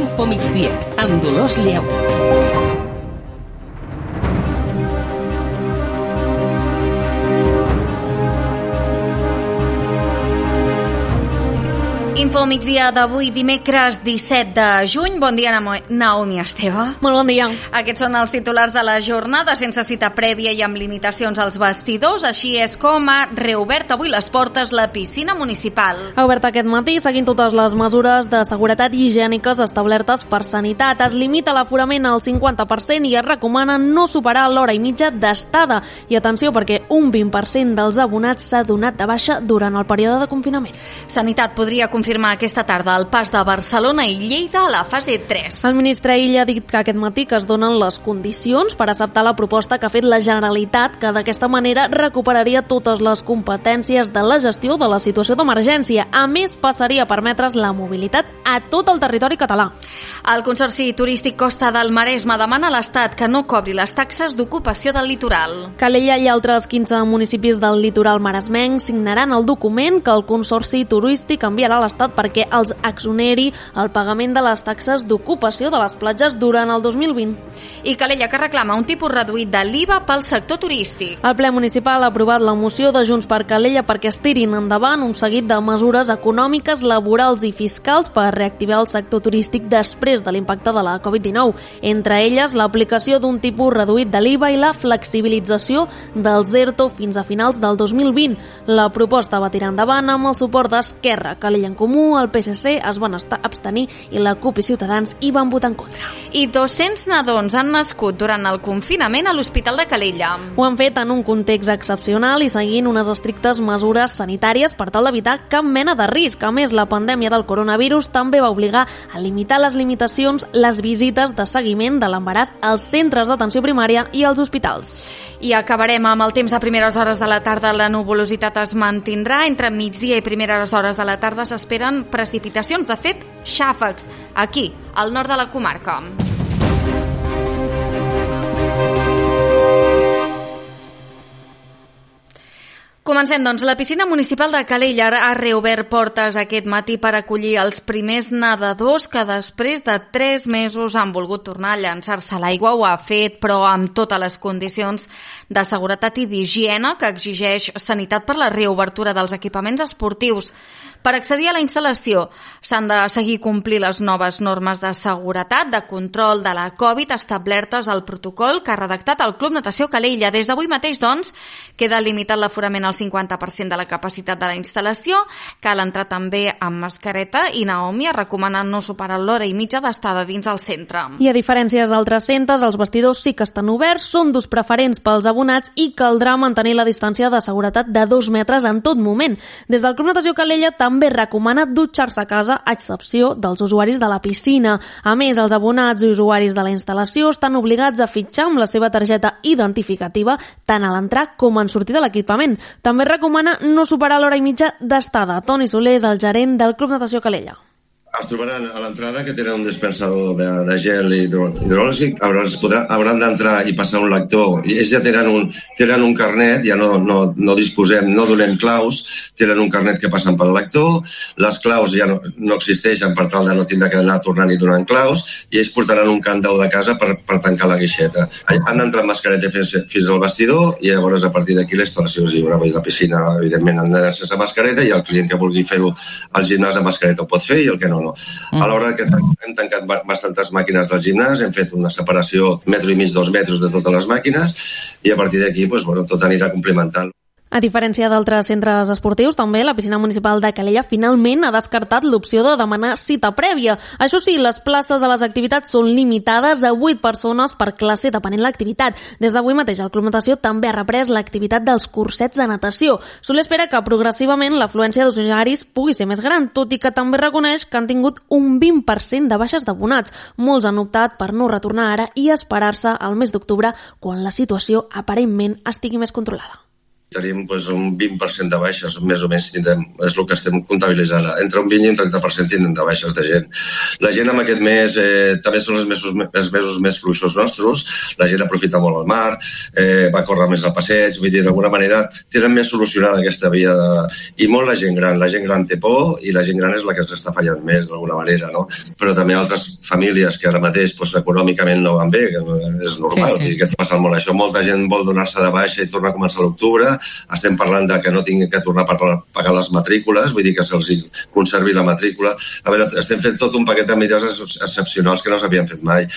Info Migdia, amb Dolors Lleu. Info migdia d'avui, dimecres 17 de juny. Bon dia, Naomi Esteve. Molt bon dia. Aquests són els titulars de la jornada, sense cita prèvia i amb limitacions als vestidors. Així és com ha reobert avui les portes la piscina municipal. Ha obert aquest matí seguint totes les mesures de seguretat higièniques establertes per Sanitat. Es limita l'aforament al 50% i es recomana no superar l'hora i mitja d'estada. I atenció, perquè un 20% dels abonats s'ha donat de baixa durant el període de confinament. Sanitat podria confirmar aquesta tarda el pas de Barcelona i Lleida a la fase 3. El ministre Illa ha dit que aquest matí que es donen les condicions per acceptar la proposta que ha fet la Generalitat, que d'aquesta manera recuperaria totes les competències de la gestió de la situació d'emergència. A més, passaria a permetre's la mobilitat a tot el territori català. El Consorci Turístic Costa del Maresme demana a l'Estat que no cobri les taxes d'ocupació del litoral. Calella i altres 15 municipis del litoral maresmenc signaran el document que el Consorci Turístic enviarà a l'Estat perquè els exoneri el pagament de les taxes d'ocupació de les platges durant el 2020. I Calella, que reclama un tipus reduït de l'IVA pel sector turístic. El ple municipal ha aprovat la moció de Junts per Calella perquè es tirin endavant un seguit de mesures econòmiques, laborals i fiscals per reactivar el sector turístic després de l'impacte de la Covid-19. Entre elles, l'aplicació d'un tipus reduït de l'IVA i la flexibilització dels ERTO fins a finals del 2020. La proposta va tirar endavant amb el suport d'Esquerra, Calella en Comú, el PSC es van abstenir i la CUP i Ciutadans hi van votar en contra. I 200 nadons han nascut durant el confinament a l'Hospital de Calella. Ho han fet en un context excepcional i seguint unes estrictes mesures sanitàries per tal d'evitar cap mena de risc. A més, la pandèmia del coronavirus també va obligar a limitar les visites de seguiment de l'embaràs als centres d'atenció primària i als hospitals. I acabarem amb el temps a primeres hores de la tarda. La nuvolositat es mantindrà. Entre migdia i primeres hores de la tarda s'esperen precipitacions, de fet, xàfecs, aquí, al nord de la comarca. Comencem, doncs. La piscina municipal de Calella ha reobert portes aquest matí per acollir els primers nedadors que després de 3 mesos han volgut tornar a llançar-se a l'aigua. Ho ha fet, però amb totes les condicions de seguretat i d'higiene que exigeix Sanitat per la reobertura dels equipaments esportius. Per accedir a la instal·lació s'han de seguir complir les noves normes de seguretat, de control de la Covid establertes al protocol que ha redactat el Club Natació Calella. Des d'avui mateix, doncs, queda limitat l'aforament al 50% de la capacitat de la instal·lació. Cal entrar també amb mascareta i Naomi ha recomanat no superar l'hora i mitja d'estada dins el centre. I a diferència d'altres centres, els vestidors sí que estan oberts, són d'ús preferents pels abonats i caldrà mantenir la distància de seguretat de 2 metres en tot moment. Des del Club Natació Calella també recomana dutxar-se a casa a excepció dels usuaris de la piscina. A més, els abonats i usuaris de la instal·lació estan obligats a fitxar amb la seva targeta identificativa tant a l'entrar com en sortir de l'equipament. També recomana no superar l'hora i mitja d'estada. Toni Soler és el gerent del Club Natació Calella. Es trobaran a l'entrada que tenen un dispensador de gel hidrològic, hauran d'entrar i passar un lector, i ells ja tenen un carnet, ja no disposem, no donem claus, tenen un carnet que passen pel lector, les claus ja no existeixen per tal de no tindre que anar tornant i donant claus, i ells portaran un càndau de casa per tancar la guixeta. Han d'entrar amb mascareta fins al vestidor i llavors a partir d'aquí la instal·lació és lliure. La piscina, evidentment, han d'anar sense mascareta i el client que vulgui fer-ho al gimnàs amb mascareta ho pot fer i el que no. A l'hora que hem tancat bastantes màquines del gimnàs, hem fet una separació 1,5 metres, 2 metres de totes les màquines i a partir d'aquí tot anirà complementant. A diferència d'altres centres esportius, també la piscina municipal de Calella finalment ha descartat l'opció de demanar cita prèvia. Això sí, les places a les activitats són limitades a 8 persones per classe depenent l'activitat. Des d'avui mateix el Club Natació també ha reprès l'activitat dels cursets de natació. Soler espera que progressivament l'afluència d'usuaris pugui ser més gran, tot i que també reconeix que han tingut un 20% de baixes d'abonats. Molts han optat per no retornar ara i esperar-se al mes d'octubre, quan la situació aparentment estigui més controlada. Tenim un 20% de baixes, més o menys tindrem, és el que estem comptabilitzant. Entre un 20 i un 30% tindrem de baixes de gent. La gent en aquest mes també són els mesos més fluixos nostres, la gent aprofita molt el mar, va córrer més al passeig, vull dir, d'alguna manera tenen més solucionada aquesta via i molt la gent gran té por i la gent gran és la que ens està fallant més d'alguna manera, no? Però també altres famílies que ara mateix econòmicament no van bé, que és normal, que està passant molt això. Molta gent vol donar-se de baixa i tornar a començar a l'octubre. Estem parlant de que no tinguin que tornar a pagar les matrícules, vull dir que se'ls conservi la matrícula. A veure, estem fent tot un paquet de mesures excepcionals que no s'havien fet mai.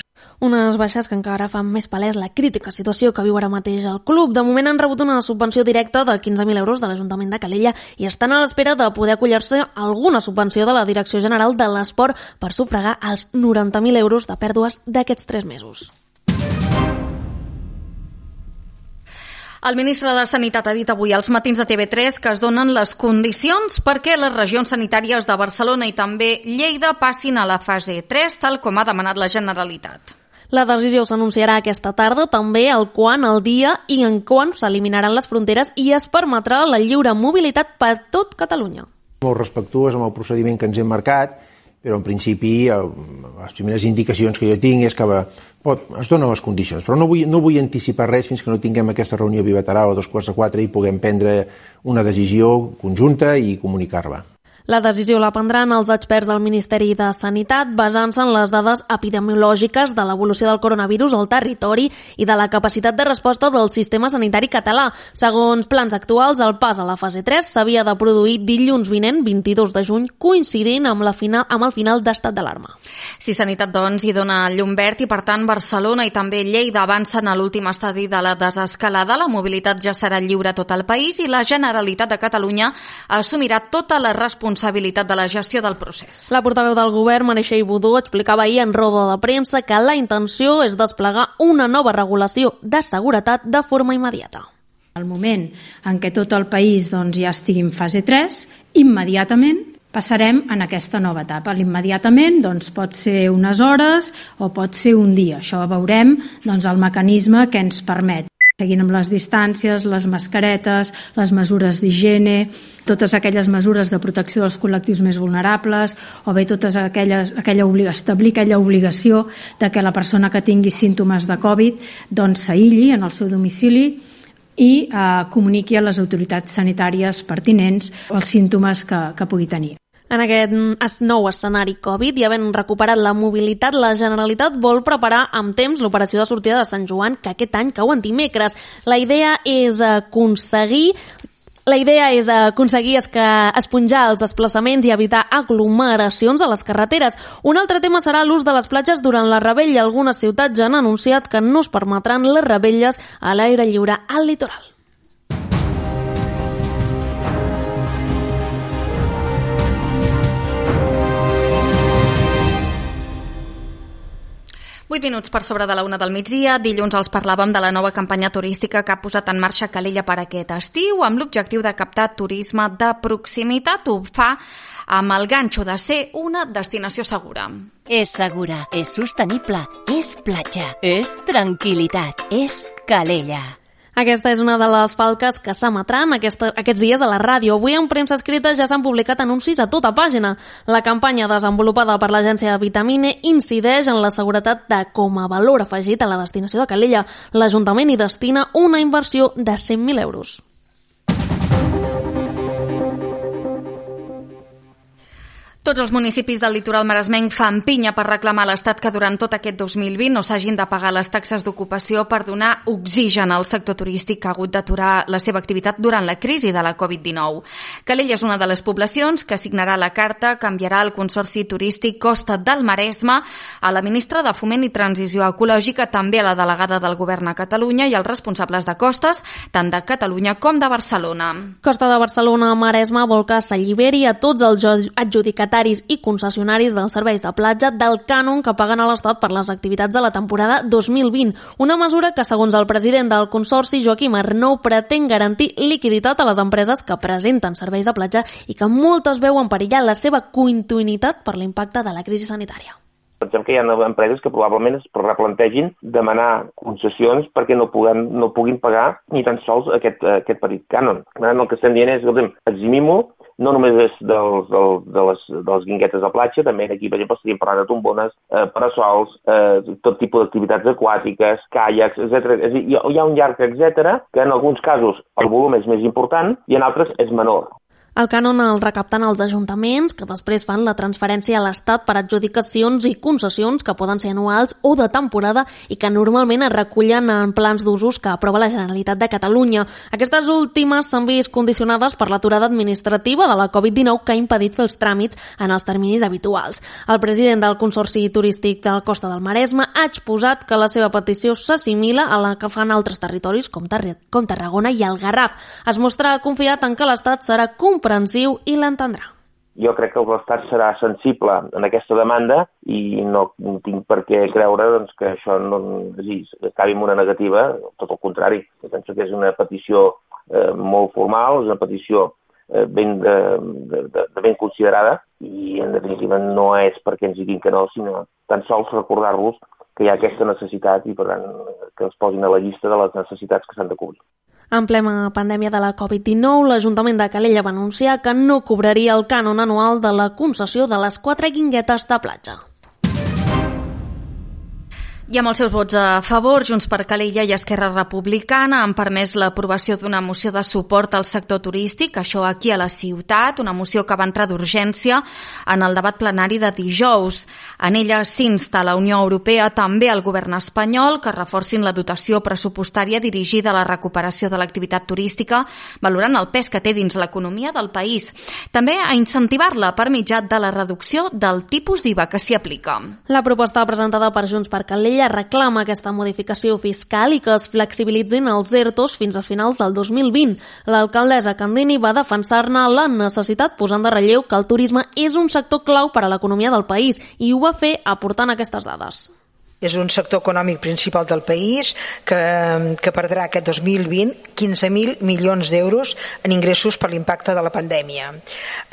Unes baixes que encara fan més palès la crítica situació que viu ara mateix el club. De moment han rebut una subvenció directa de 15.000 euros de l'Ajuntament de Calella i estan a l'espera de poder acollir-se a alguna subvenció de la Direcció General de l'Esport per sufragar els 90.000 euros de pèrdues d'aquests 3 mesos. El ministre de Sanitat ha dit avui als matins de TV3 que es donen les condicions perquè les regions sanitàries de Barcelona i també Lleida passin a la fase 3, tal com ha demanat la Generalitat. La decisió s'anunciarà aquesta tarda, també el dia i en quan s'eliminaran les fronteres i es permetrà la lliure mobilitat per tot Catalunya. Molt respectuós amb el procediment que ens hem marcat, però en principi les primeres indicacions que jo tinc és que es donen les condicions, però no vull anticipar res fins que no tinguem aquesta reunió bilateral a 3:45 i puguem prendre una decisió conjunta i comunicar-la. La decisió la prendran els experts del Ministeri de Sanitat basant-se en les dades epidemiològiques de l'evolució del coronavirus al territori i de la capacitat de resposta del sistema sanitari català. Segons plans actuals, el pas a la fase 3 s'havia de produir dilluns vinent, 22 de juny, coincidint amb el final d'estat d'alarma. Si Sanitat, doncs, hi dona llum verd i, per tant, Barcelona i també Lleida avancen a l'últim estadi de la desescalada, la mobilitat ja serà lliure a tot el país i la Generalitat de Catalunya assumirà tota la responsabilitat de la gestió del procés. La portaveu del govern, Meritxell Budó, explicava ahir en roda de premsa que la intenció és desplegar una nova regulació de seguretat de forma immediata. Al moment en què tot el país ja estigui en fase 3, immediatament passarem en aquesta nova etapa. L'immediatament pot ser unes hores o pot ser un dia. Això veurem el mecanisme que ens permet. Seguint amb les distàncies, les mascaretes, les mesures d'higiene, totes aquelles mesures de protecció dels col·lectius més vulnerables, o bé totes establir aquella obligació de que la persona que tingui símptomes de Covid s'aïlli en el seu domicili i comuniqui a les autoritats sanitàries pertinents els símptomes que pugui tenir. En aquest nou escenari Covid i havent recuperat la mobilitat, la Generalitat vol preparar amb temps l'operació de sortida de Sant Joan, que aquest any cau en dimecres. La idea és aconseguir esponjar els desplaçaments i evitar aglomeracions a les carreteres. Un altre tema serà l'ús de les platges durant la rebella. Algunes ciutats ja han anunciat que no es permetran les rebelles a l'aire lliure al litoral. Vuit minuts per sobre de la 1 del migdia. Dilluns els parlàvem de la nova campanya turística que ha posat en marxa Calella per aquest estiu amb l'objectiu de captar turisme de proximitat. Ho fa amb el ganxo de ser una destinació segura. És segura, és sostenible, és platja, és tranquil·litat, és Calella. Aquesta és una de les falques que s'emetran aquests dies a la ràdio. Avui en premsa escrita ja s'han publicat anuncis a tota pàgina. La campanya desenvolupada per l'agència Vitamine incideix en la seguretat com a valor afegit a la destinació de Calella. L'Ajuntament hi destina una inversió de 100.000 euros. Tots els municipis del litoral maresmenc fan pinya per reclamar a l'Estat que durant tot aquest 2020 no s'hagin de pagar les taxes d'ocupació per donar oxigen al sector turístic que ha hagut d'aturar la seva activitat durant la crisi de la Covid-19. Calella és una de les poblacions que signarà la carta que enviarà al Consorci Turístic Costa del Maresme, a la ministra de Foment i Transició Ecològica, també a la delegada del Govern a Catalunya i als responsables de costes, tant de Catalunya com de Barcelona. Costa de Barcelona Maresme vol que s'alliberi a tots els adjudicats i concessionaris dels serveis de platja del cànon que paguen a l'Estat per les activitats de la temporada 2020. Una mesura que, segons el president del Consorci, Joaquim Arnou, pretén garantir liquiditat a les empreses que presenten serveis de platja i que moltes veuen perillar la seva continuïtat per l'impacte de la crisi sanitària. Pensem que hi ha empreses que probablement es replantegin demanar concessions perquè no puguin pagar ni tan sols aquest petit cànon. El que estem dient és, eximim-ho, no només és de les guinguetes de platja, també aquí, per exemple, estaríem parlant de tombones, parasols, tot tipus d'activitats aquàtiques, caiacs, etc. És a dir, hi ha un llarg etcètera, que en alguns casos el volum és més important i en altres és menor. El cànon el recapten els ajuntaments, que després fan la transferència a l'Estat per adjudicacions i concessions que poden ser anuals o de temporada i que normalment es recullen en plans d'usos que aprova la Generalitat de Catalunya. Aquestes últimes s'han vist condicionades per l'aturada administrativa de la Covid-19 que ha impedit fer els tràmits en els terminis habituals. El president del Consorci Turístic de la Costa del Maresme ha exposat que la seva petició s'assimila a la que fan altres territoris com Tarragona i el Garraf. Es mostra confiat en que l'Estat serà comprensiu i l'entendrà. Jo crec que l'Estat serà sensible en aquesta demanda i no tinc per què creure que això no acabi amb una negativa, tot el contrari. Jo penso que és una petició molt formal, és una petició ben considerada i en definitiva no és perquè ens diguin que no, sinó tan sols recordar-los que hi ha aquesta necessitat i per tant que els posin a la llista de les necessitats que s'han de cobrir. En plena pandèmia de la Covid-19, l'Ajuntament de Calella va anunciar que no cobraria el cànon anual de la concessió de les 4 guinguetes de platja. I amb els seus vots a favor, Junts per Calella i Esquerra Republicana han permès l'aprovació d'una moció de suport al sector turístic, això aquí a la ciutat, una moció que va entrar d'urgència en el debat plenari de dijous. En ella s'insta a la Unió Europea, també al govern espanyol, que reforcin la dotació pressupostària dirigida a la recuperació de l'activitat turística, valorant el pes que té dins l'economia del país. També a incentivar-la per mitjà de la reducció del tipus d'IVA que s'hi aplica. La proposta presentada per Junts per Calella reclama aquesta modificació fiscal i que es flexibilitzin els ERTOs fins a finals del 2020. L'alcaldessa Candini va defensar-ne la necessitat posant de relleu que el turisme és un sector clau per a l'economia del país i ho va fer aportant aquestes dades. És un sector econòmic principal del país que perdrà aquest 2020 15.000 milions d'euros en ingressos per l'impacte de la pandèmia.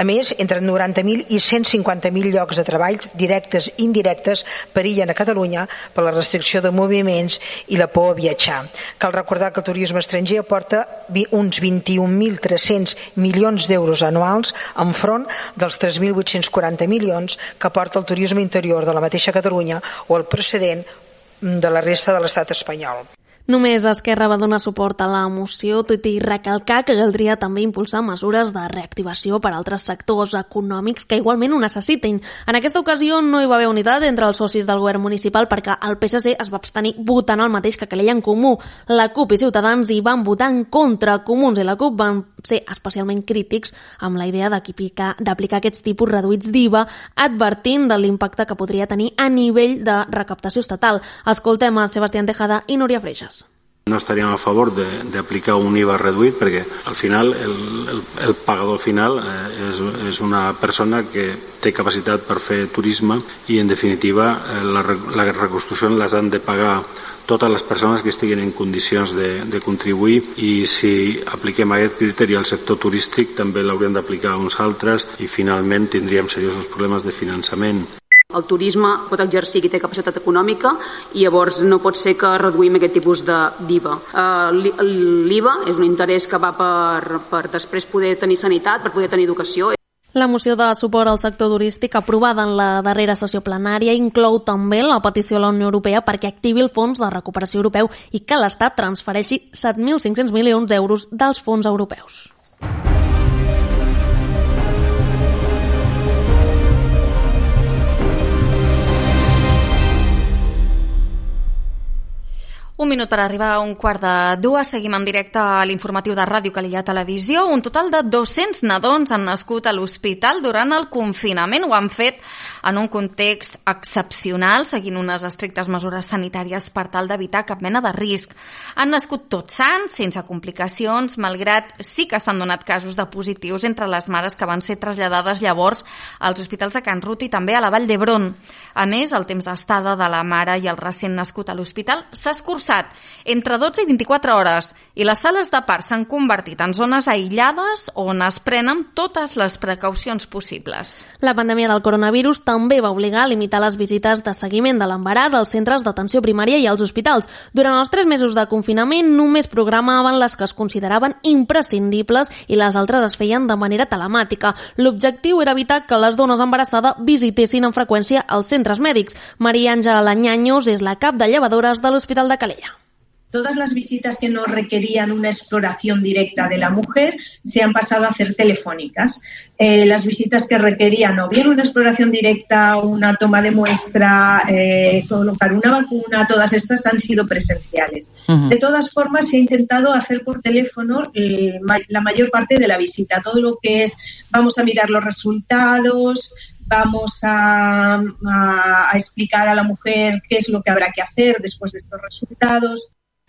A més, entre 90.000 i 150.000 llocs de treball directes i indirectes perillen a Catalunya per la restricció de moviments i la por a viatjar. Cal recordar que el turisme estranger aporta uns 21.300 milions d'euros anuals enfront dels 3.840 milions que aporta el turisme interior de la mateixa Catalunya o el precedent de la resta de l'estat espanyol. Només Esquerra va donar suport a la moció, tot i recalcar que caldria també impulsar mesures de reactivació per a altres sectors econòmics que igualment ho necessitin. En aquesta ocasió no hi va haver unitat entre els socis del govern municipal perquè el PSC es va abstenir votant el mateix que Calella en Comú. La CUP i Ciutadans hi van votar en contra. Comuns i la CUP van ser especialment crítics amb la idea d'aplicar aquests tipus reduïts d'IVA, advertint de l'impacte que podria tenir a nivell de recaptació estatal. Escoltem a Sebastián Tejada i Núria Freixas. No estaríem a favor d'aplicar un IVA reduït perquè al final el pagador final és una persona que té capacitat per fer turisme i en definitiva la reconstrucció les han de pagar totes les persones que estiguin en condicions de contribuir i si apliquem aquest criteri al sector turístic també l'hauríem d'aplicar a uns altres i finalment tindríem seriosos problemes de finançament. El turisme pot exercir qui té capacitat econòmica i llavors no pot ser que reduïm aquest tipus d'IVA. L'IVA és un interès que va per després poder tenir sanitat, per poder tenir educació. La moció de suport al sector turístic aprovada en la darrera sessió plenària inclou també la petició a la Unió Europea perquè activi el Fons de Recuperació Europeu i que l'Estat transfereixi 7.500 milions d'euros dels fons europeus. Un minut per arribar a 1:45. Seguim en directe a l'informatiu de Ràdio Calella Televisió. Un total de 200 nadons han nascut a l'hospital durant el confinament. Ho han fet en un context excepcional, seguint unes estrictes mesures sanitàries per tal d'evitar cap mena de risc. Han nascut tots sants, sense complicacions, malgrat sí que s'han donat casos de positius entre les mares que van ser traslladades llavors als hospitals de Can Ruti i també a la Vall d'Hebron. A més, el temps d'estada de la mare i el recent nascut a l'hospital s'ha escurçat passat entre 12 i 24 hores i les sales de part s'han convertit en zones aïllades on es prenen totes les precaucions possibles. La pandèmia del coronavirus també va obligar a limitar les visites de seguiment de l'embaràs als centres d'atenció primària i als hospitals. Durant els 3 mesos de confinament només programaven les que es consideraven imprescindibles i les altres es feien de manera telemàtica. L'objectiu era evitar que les dones embarassades visitessin amb freqüència els centres mèdics. Maria Àngela Ñaños és la cap de llevadores de l'Hospital de Calella. Todas las visitas que no requerían una exploración directa de la mujer se han pasado a hacer telefónicas. Las visitas que requerían o bien una exploración directa, una toma de muestra, colocar una vacuna, todas estas han sido presenciales. De todas formas, se ha intentado hacer por teléfono la mayor parte de la visita. Todo lo que es, vamos a mirar los resultados, vamos a explicar a la mujer qué es lo que habrá que hacer después de estos resultados.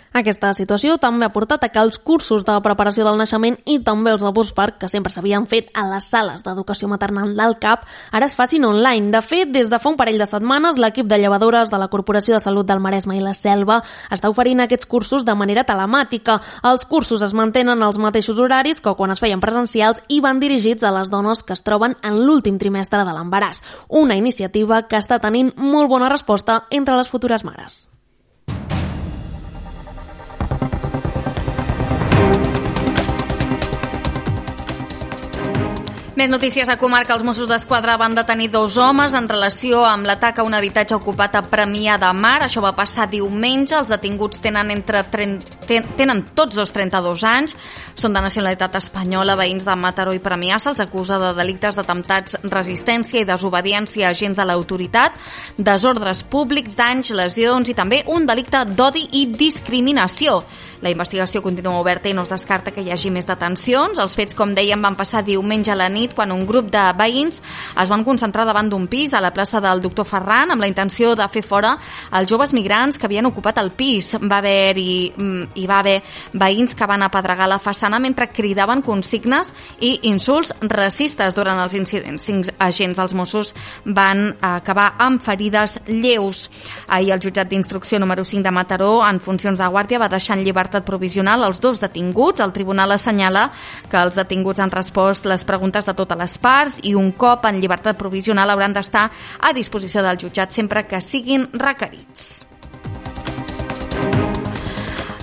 Aquesta situació també ha portat a que els cursos de preparació del naixement i també els de postpart, que sempre s'havien fet a les sales d'educació maternal del CAP, ara es facin online. De fet, des de fa un parell de setmanes, l'equip de llevadores de la Corporació de Salut del Maresme i la Selva està oferint aquests cursos de manera telemàtica. Els cursos es mantenen als mateixos horaris que quan es feien presencials i van dirigits a les dones que es troben en l'últim trimestre de l'embaràs. Una iniciativa que està tenint molt bona resposta entre les futures mares. Més notícies a comarca. Els Mossos d'Esquadra van detenir 2 homes en relació amb l'atac a un habitatge ocupat a Premià de Mar. Això va passar diumenge. Els detinguts tenen tots 32 anys. Són de nacionalitat espanyola, veïns de Mataró i Premià. Se'ls acusa de delictes d'atemptats, resistència i desobediència a agents de l'autoritat, desordres públics, danys, lesions i també un delicte d'odi i discriminació. La investigació continua oberta i no es descarta que hi hagi més detencions. Els fets, com dèiem, van passar diumenge a la nit quan un grup de veïns es van concentrar davant d'un pis a la plaça del Doctor Ferran amb la intenció de fer fora els joves migrants que havien ocupat el pis. Hi va haver veïns que van apedregar la façana mentre cridaven consignes i insults racistes durant els incidents. 5 agents dels Mossos van acabar amb ferides lleus. Ahir el jutjat d'instrucció número 5 de Mataró, en funcions de guàrdia, va deixar en llibertat provisional els 2 detinguts. El tribunal assenyala que els detinguts han respost les preguntes de totes les parts i un cop en llibertat provisional hauran d'estar a disposició del jutjat sempre que siguin requerits.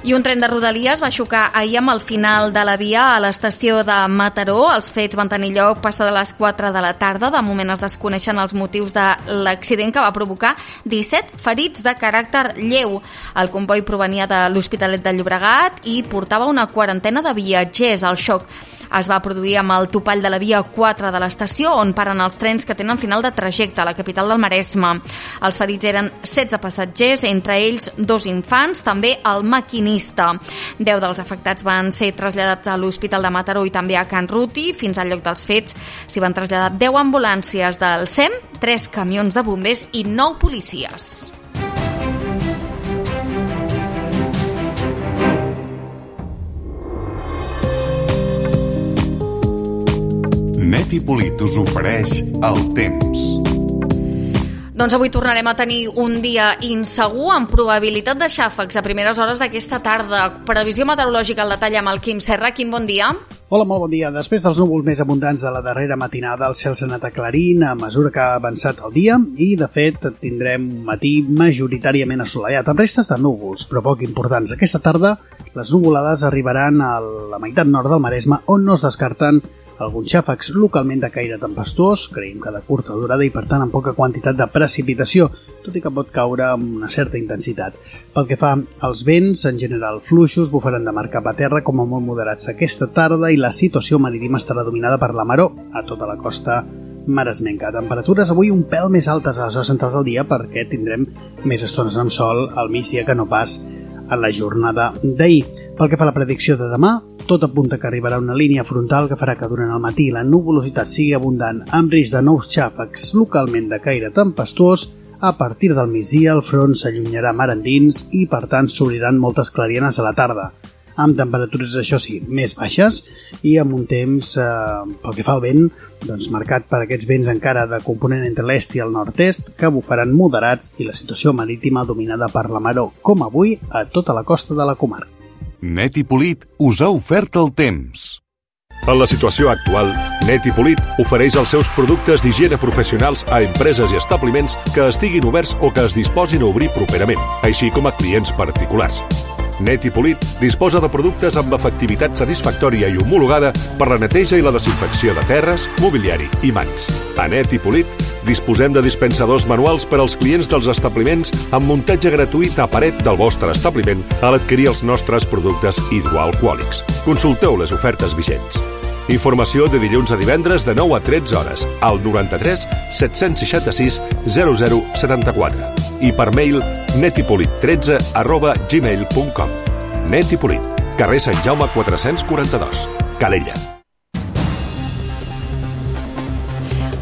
I un tren de Rodalies va xocar ahir amb el final de la via a l'estació de Mataró. Els fets van tenir lloc passada les 4 de la tarda. De moment es desconeixen els motius de l'accident que va provocar 17 ferits de caràcter lleu. El comboi provenia de l'Hospitalet de Llobregat i portava una quarantena de viatgers. El xoc es va produir amb el topall de la via 4 de l'estació, on paren els trens que tenen final de trajecte a la capital del Maresme. Els ferits eren 16 passatgers, entre ells 2 infants, també el maquinista. 10 dels afectats van ser traslladats a l'Hospital de Mataró i també a Can Ruti. Fins al lloc dels fets s'hi van traslladar 10 ambulàncies del SEM, 3 camions de bombers i 9 policies. Neti Polit us ofereix el temps. Doncs avui tornarem a tenir un dia insegur amb probabilitat de xàfecs a primeres hores d'aquesta tarda. Previsió meteorològica al detall amb el Quim Serra. Quim, bon dia. Hola, molt bon dia. Després dels núvols més abundants de la darrera matinada, el cel s'ha anat aclarint a mesura que ha avançat el dia i, de fet, tindrem un matí majoritàriament assolellat, amb restes de núvols, però poc importants. Aquesta tarda, les nuvolades arribaran a la meitat nord del Maresme, on no es descarten alguns xàfecs localment de caire tempestuós, creiem que de curta durada i per tant amb poca quantitat de precipitació, tot i que pot caure amb una certa intensitat. Pel que fa als vents, en general fluixos, bufaran de mar cap a terra com a molt moderats aquesta tarda i la situació marítima estarà dominada per la maró a tota la costa maresmenca. Temperatures avui un pèl més altes a les hores centrals del dia perquè tindrem més estones amb sol al migdia que no pas en la jornada d'ahir. Pel que fa a la predicció de demà, tot apunta que arribarà una línia frontal que farà que durant el matí la nuvolositat sigui abundant amb risc de nous xàfecs localment de caire tempestuós. A partir del migdia el front s'allunyarà mar endins i per tant s'obriran moltes clarianes a la tarda. amb temperatures, això sí, més baixes i amb un temps, pel que fa al vent, doncs marcat per aquests vents encara de component entre l'est i el nord-est, que bufaran moderats i la situació marítima dominada per la maró, com avui a tota la costa de la comarca. Net i Polit us ha ofert el temps. En la situació actual, Net i Polit ofereix els seus productes d'higiene professionals a empreses i establiments que estiguin oberts o que es disposin a obrir properament, així com a clients particulars. Net i Polit disposa de productes amb efectivitat satisfactòria i homologada per la neteja i la desinfecció de terres, mobiliari i mans. A Net i Polit disposem de dispensadors manuals per als clients dels establiments amb muntatge gratuït a paret del vostre establiment a l'adquirir els nostres productes hidroalcohòlics. Consulteu les ofertes vigents. Informació de dilluns a divendres de 9 a 13 hores al 93 766 0074 i per mail netipolit13@gmail.com. Net i Polit, carrer Sant Jaume 442, Calella.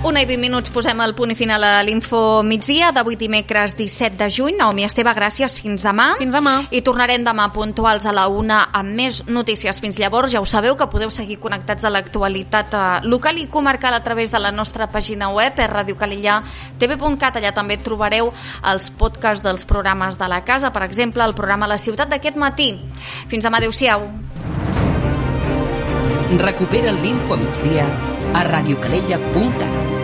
1:20 posem el punt i final a l'Info Migdia d'avui dimecres 17 de juny. Naomi Esteve, gràcies. Fins demà. Fins demà. I tornarem demà puntuals a la 1 amb més notícies. Fins llavors, ja ho sabeu que podeu seguir connectats a l'actualitat local i comarcal a través de la nostra pàgina web, radiocalella.tv.cat. Allà també trobareu els podcasts dels programes de la casa, per exemple, el programa La Ciutat d'aquest matí. Fins demà, adeu-siau. Recupera l'Info Migdia a radiocalella.cat.